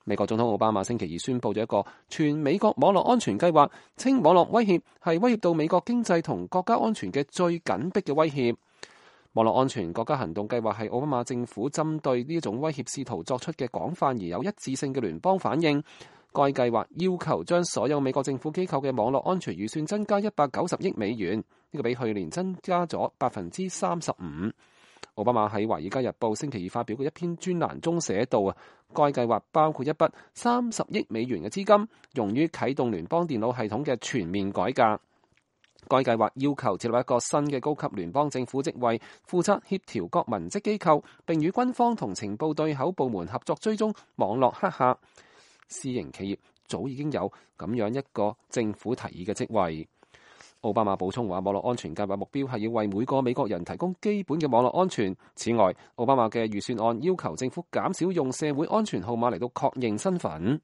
美國總統奧巴馬星期二宣布咗一個全美國網絡安全計劃，稱網絡威脅係威脅到美國經濟同國家安全嘅最緊迫嘅威脅。網絡安全國家行動計劃係奧巴馬政府針對呢一種威脅試圖作出嘅廣泛而有一致性嘅聯邦反應。該計劃要求將所有美國政府機構嘅網絡安全預算增加190億美元，呢個比去年增加咗35%。奧巴馬喺《華爾街日報》星期二發表嘅一篇專欄中寫道該計劃包括一筆30億美元嘅資金，用於啟動聯邦電腦系統嘅全面改革。該計劃要求設立一個新嘅高級聯邦政府職位，負責協調各文職機構，並與軍方同情報對口部門合作追蹤網絡黑客。私營企業早已經有咁樣一個政府提議嘅職位。奧巴馬補充話，網絡安全計劃目標係要為每個美國人提供基本嘅網絡安全。此外，奧巴馬嘅預算案要求政府減少用社會安全號碼嚟到確認身份。